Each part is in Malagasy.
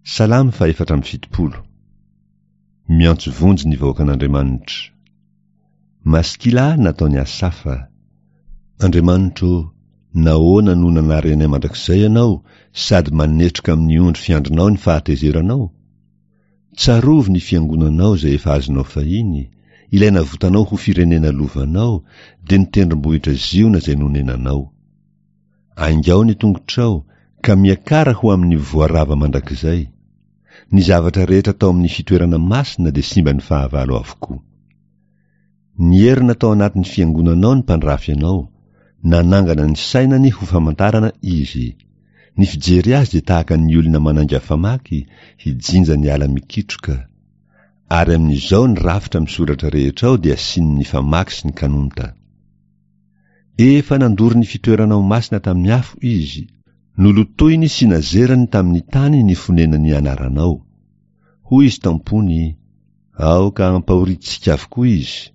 Salamo faha-74. Miantso vonjy ny vahoakan'Andriamanitra. Maskila nataon'i Asafa. Andriamanitro ô, nahoana no nanary anay mandrakizay Ianao sady manetroka amin'ny ondry fiandrinao ny fahatezeranao? Tsarovy ny fiangonanao izay efa azonao fahiny, ilay navotanao ho firenena lovanao, dia ny tendrombohitra Ziona izay nonenanao. Aingao ny tongotrao, ka miakara ho amin'ny voarava mandrakizay. Ny zavatra rehetra tao amin'ny fitoerana masina dia simban'ny fahavalo avokoa. Nierona tao anatin'ny fiangonanao ny mpandrafy anao, nanangana ny sainany ho famantarana izy. Ny fijery azy dia tahaka ny olona manainga famaky hijinja ny ala mikitroka. Ary amin'izao ny rafitra misoratra rehetra ao dia asian'ny famaky sy ny kanonta. Efa nandoro ny fitoeranao masina tamin'ny afo izy, nolotoiny sy nazerany tamin'ny tany ny fonenan'ny anaranao. Hoy izy tam-pony, Aoka hampahorintsika avokoa izy.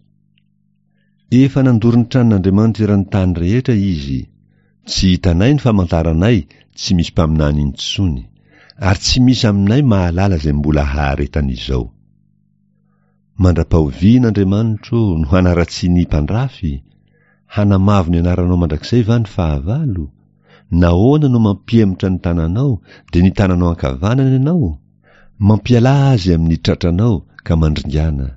Efa nandoro ny tranon'Andriamanitra eran'ny tany rehetra izy. Tsy hitanay ny famantaranay, tsy misy mpaminany intsony, ary tsy misy aminay mahalala izay mbola haharetan'izao. Mandra-pahoviana, Andriamanitro ô, no hanaratsian'ny mpandrafy? Hanamavo ny anaranao mandrakizay va ny fahavalo? Nahoana no mampihemotra ny tananao, dia ny tananao ankavanana ianao? Mampialà azy amin'ny tratranao ka mandringàna.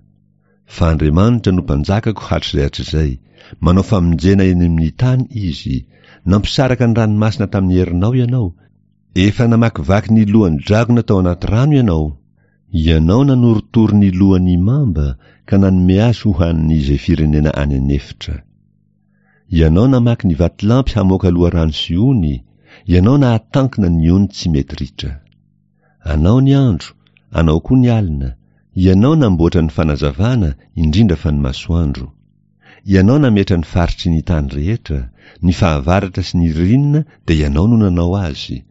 Fa Andriamanitra no Mpanjakako hatrizay hatrizay, manao famonjena eny amin'ny tany Izy. Nampisaraka ny ranomasina tamin'ny herinao Ianao, efa namakivaky ny lohan'ny dragona tao anaty rano Ianao. Ianao nanorotoro ny lohan'ny mamba ka nanome azy ho hanin'izay firenena any an'efitra. Ianao namaky ny vatolampy hamoaka loharano sy ony, Ianao nahatankina ny ony tsy mety ritra. Anao ny andro, Anao koa ny alina, Ianao namboatra ny fanazavana, indrindra fa ny masoandro. Ianao nametra ny faritry ny tany rehetra, ny fahavaratra sy ny ririnina dia Ianao no nanao azy.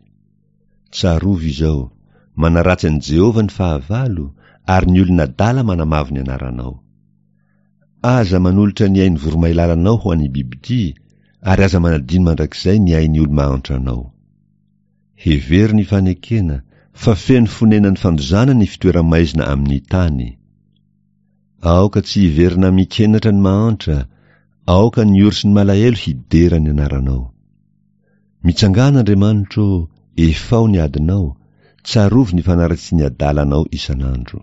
Tsarovy izao, manaratsy an'i Jehovah ny fahavalo, ary ny olona adala manamavo ny anaranao. Aza manolotra ny ain'ny voromailalanao ho an'ny bibidia, ary aza manadino mandrakizay ny ain'ny olo-mahantranao. Hevero ny fanekena, fa feno fonenan'ny fandozana ny fitoera-maizina amin'ny tany. Aoka tsy hiverina amin-kenatra ny mahantra, aoka ny ory sy ny malahelo hidera ny anaranao. Mitsangàna Andriamanitra ô, efao ny adinao, tsarovy ny fanaratsian'ny adalanao isan'andro.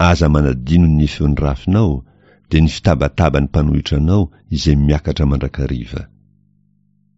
Aza manadino ny feon'ny rafinao, dia ny fitabataban'ny mpanohitra anao izay miakatra mandrakariva.